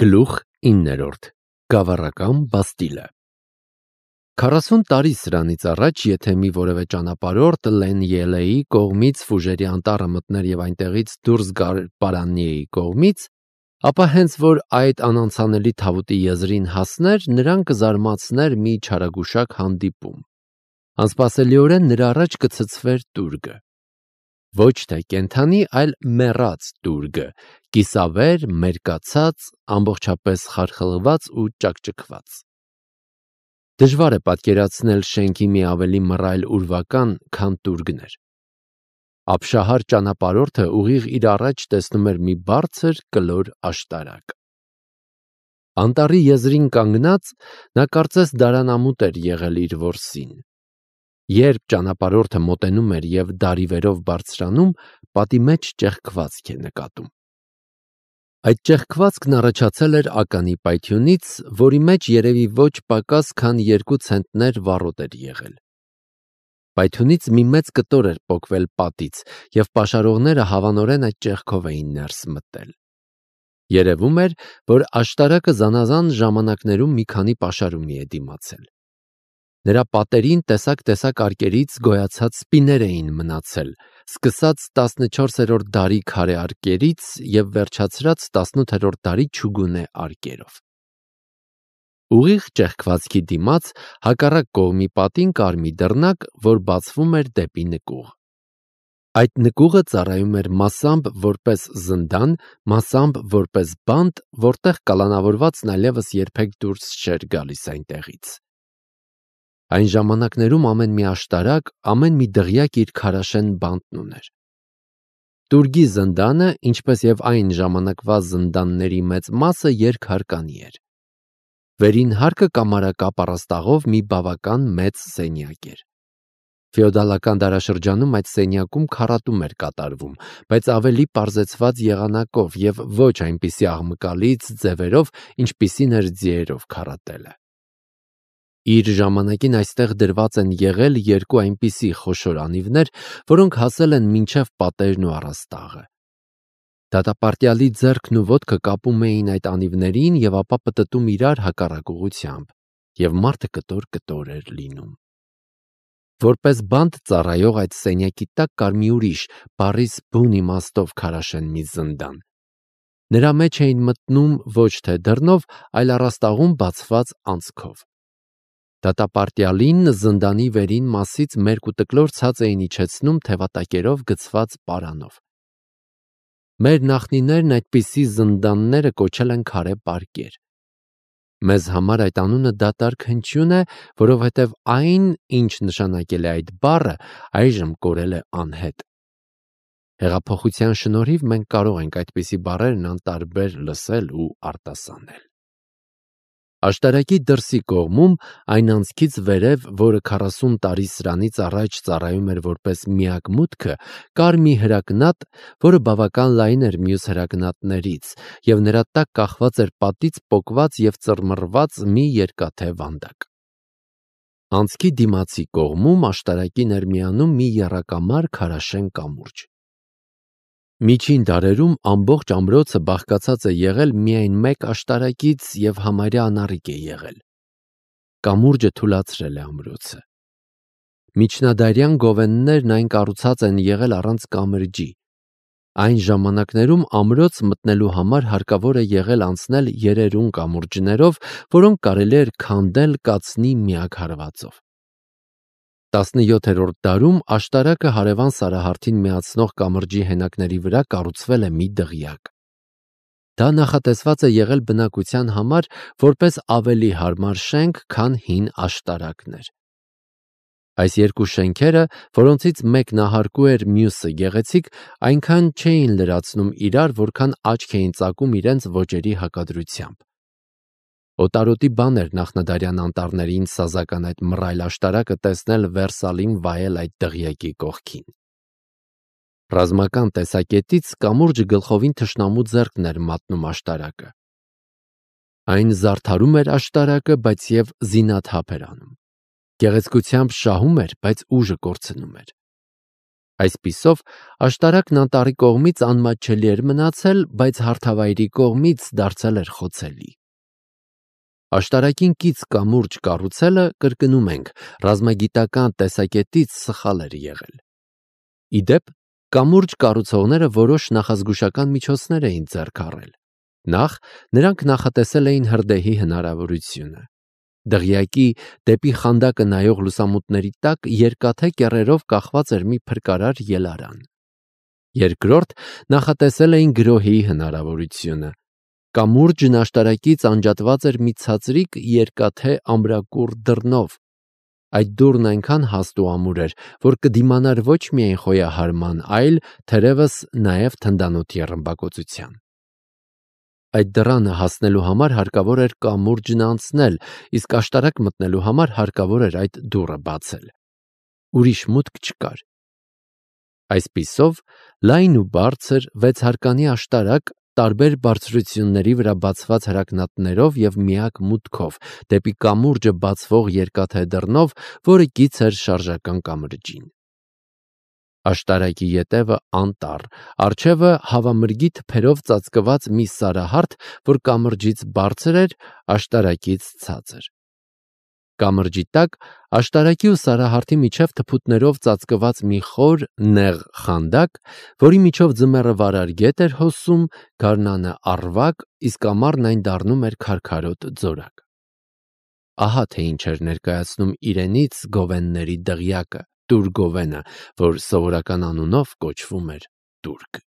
Գլուխ 9. Գավառական Բաստիլը 40 տարի սրանից առաջ, եթե մի որևէ ճանապարհորդ Լեն Ելեի կողմից Ֆուժերի անտառը մտներ և այնտեղից դուրս գար Պարանիեի կողմից, ապա հենց որ այդ անանցանելի թավուտի եզրին հասներ, նրան կզարմացներ մի չարագուշակ հանդիպում։ Անսպասելիորեն նրա առաջ կցցվեր տուրգը։ Ոչ թե կենդանի, այլ մեռած տուրգը, կիսավեր, մերկացած, ամբողջապես խարխլված ու ճաքճքված։ Դժվար է պատկերացնել շենքի մի ավելի մռայլ ուրվական, քան տուրգներ։ Ապշահար ճանապարհորդը ուղիղ իր առաջ տեսնում էր մի բարձր կլոր աշտարակ։ Անտառի եզրին կանգնած, նա կարծես դարանամուտ էր եղել իր որսին։ Երբ ճանապարհորդը մոտենում էր և դարիվերով բարձրանում, պատի մեջ ճեղքվածք է նկատում։ Այդ ճեղքվածքն առաջացել էր ականի պայթյունից, որի մեջ երևի ոչ պակաս, քան 2 ցենտներ վառոդ էր եղել։ Պայթյունից մի մեծ կտոր էր պոկվել պատից, և պաշարողները հավանորեն այդ ճեղքով էին ներս մտել։ Երևում էր, որ աշտարակը զանազան ժամանակներում մի քանի պաշարումի է դիմացել։ Նրա պատերին տեսակ արկերից գոյացած սպիներ էին մնացել, սկսած 14-րդ դարի քարե արկերից և վերջացրած 18-րդ դարի չուգունե արկերով։ Ուղիղ ճեղքվածքի դիմաց հակառակ կողմի պատին կար մի դռնակ, որ բացվում էր դեպի նկուղ։ Այդ նկուղը ծառայում էր մասամբ որպես զնդան, մասամբ որպես բանտ, որտեղ կալանավորվածն այլևս երբեք դուրս չէր գալիս այնտեղից։ Այն ժամանակներում ամեն մի աշտարակ, ամեն մի դղյակ իր քարաշեն բանտն ուներ։ Տուրգի զնդանը, ինչպես և այն ժամանակվա զնդանների մեծ մասը, երկհարկանի էր։ Վերին հարկը կամարակապ առաստաղով մի բավական մեծ սենյակ էր։ Ֆեոդալական դարաշրջանում այդ սենյակում քառատում էր կատարվում, բայց ավելի պարզեցված եղանակով և ոչ այնպիսի աղմկալից ձևերով, ինչպիսին էր ձիերով քառատելը։ Իր ժամանակին այստեղ դրված են եղել 2 այնպիսի խոշոր անիվներ, որոնք հասել են մինչև պատերն ու առաստաղը։ Դատապարտյալի ձեռքն ու ոտքը կապում էին այդ անիվներին և ապա պտտում իրար հակառակ ուղղությամբ, և մարդը կտոր էր լինում։ Որպես բանտ ծառայող այդ սենյակի տակ կար մի ուրիշ, բառիս բուն իմաստով քարաշեն մի զնդան։ Նրա մեջ էին մտնում ոչ թե դռնով, այլ առաստաղում բացված անցքով։ Դատապարտյալին զնդանի վերին մասից մերկ ու տկլոր ցած էին իջեցնում թևատակերով գցված պարանով։ Մեր նախնիներն այդպիսի զնդանները կոչել են քարե պարկեր։ Մեզ համար այդ անունը դատարկ հնչյուն է, որովհետև այն, ինչ նշանակել է այդ բառը, այժմ կորել է անհետ։ Հեղափոխության շնորհիվ մենք կարող ենք այդպիսի բառերն անտարբեր լսել ու արտասանել։ Աշտարակի դրսի կողմում, այն անցքից վերև, որը 40 տարի սրանից առաջ ծառայում էր որպես միակ մուտքը, կար մի հրակնատ, որը բավական լայն էր մյուս հրակնատներից, և նրա տակ կախված էր պատից պոկված և ծռմռված մի երկաթե վանդակ։ Անցքի դիմացի կողմում աշտարակին էր միանում մի եռակամար քարաշեն կամուրջ։ Միջին դարերում ամբողջ ամրոցը բաղկացած է եղել միայն մեկ աշտարակից և համարյա անառիկ է եղել։ Կամուրջը թուլացրել է ամրոցը։ Միջնադարյան գովեններն այն կառուցած են եղել առանց կամրջի։ Այն ժամանակներում ամրոց մտնելու համար հարկավոր է եղել անցնել երերուն կամուրջներով, որոնք կարելի էր քանդել կացնի միակ հարվածով։ 17-րդ դարում աշտարակը հարևան Սարահարթին միացնող կամրջի հենակների վրա կառուցվել է մի դղյակ։ Դա նախատեսված է եղել բնակության համար որպես ավելի հարմար շենք, քան հին աշտարակներ։ Այս երկու շենքերը, որոնցից մեկն ահարկու էր, մյուսը գեղեցիկ, այնքան չէին լրացնում իրար, որքան աչք էին ծակում իրենց ոճերի հակադրությամբ։ Օտարոտի բան էր նախնադարյան անտառներին սազական այդ մռայլ աշտարակը տեսնել Վերսալին վայել այդ դղյակի կողքին։ Ռազմական տեսակետից կամուրջը գլխովին թշնամու ձեռքն էր մատնում աշտարակը։ Այն զարդարում էր աշտարակը, բայց և զինաթափ էր անում։ Գեղեցկությամբ շահում էր, բայց ուժը կորցնում էր։ Այսպիսով, աշտարակն անտառի կողմից անմատչելի էր մնացել, բայց հարթավայրի կողմից դարձել էր խոցելի։ Աշտարակին կից կամուրջ կառուցելը, կրկնում ենք, ռազմագիտական տեսակետից սխալ էր եղել։ Ի դեպ, կամուրջ կառուցողները որոշ նախազգուշական միջոցներ էին ձեռք առել։ Նախ, նրանք նախատեսել էին հրդեհի հնարավորությունը։ Դղյակի դեպի խանդակը նայող լուսամուտների տակ երկաթե կեռերով կախված էր մի փրկարար ելարան։ Երկրորդ, նախատեսել էին գրոհի հնարավորությունը։ Կամուրջն աշտարակից անջատված էր մի ցածրիկ երկաթե ամրակուռ դռնով։ Այդ դուռն այնքան հաստ ու ամուր էր, որ կդիմանար ոչ միայն խոյահարման, այլ թերևս նաև թնդանոթի ռմբակոծության։ Այդ դռանը հասնելու համար հարկավոր էր կամուրջն անցնել, իսկ աշտարակ մտնելու համար հարկավոր էր այդ դուռը բացել։ Ուրիշ մուտք չկար։ Այսպիսով, լայն ու բարձր 6 հարկանի աշտարակ, տարբեր բարձրությունների վրա բացված հրակնատներով և միակ մուտքով, դեպի կամուրջը բացվող երկաթե դռնով, որը կից էր շարժական կամրջին։ Աշտարակի ետևը անտառ, առջևը հավամրգի թփերով ծածկված մի սարահարթ, որ կամրջից բարձր էր, աշտարակից ցածր։ Կամրջի տակ, աշտարակի ու սարահարթի միջև թփուտներով ծածկված մի խոր, նեղ խանդակ, որի միջով ձմեռը վարար գետ էր հոսում, գարնանը առվակ, իսկ ամառն այն դառնում էր քարքարոտ ձորակ։ Ահա թե ինչ էր ներկայացնում իրենից գովենների դղյակը, Տուր Գովենը, որ սովորական անունով կոչվում էր Տուրք։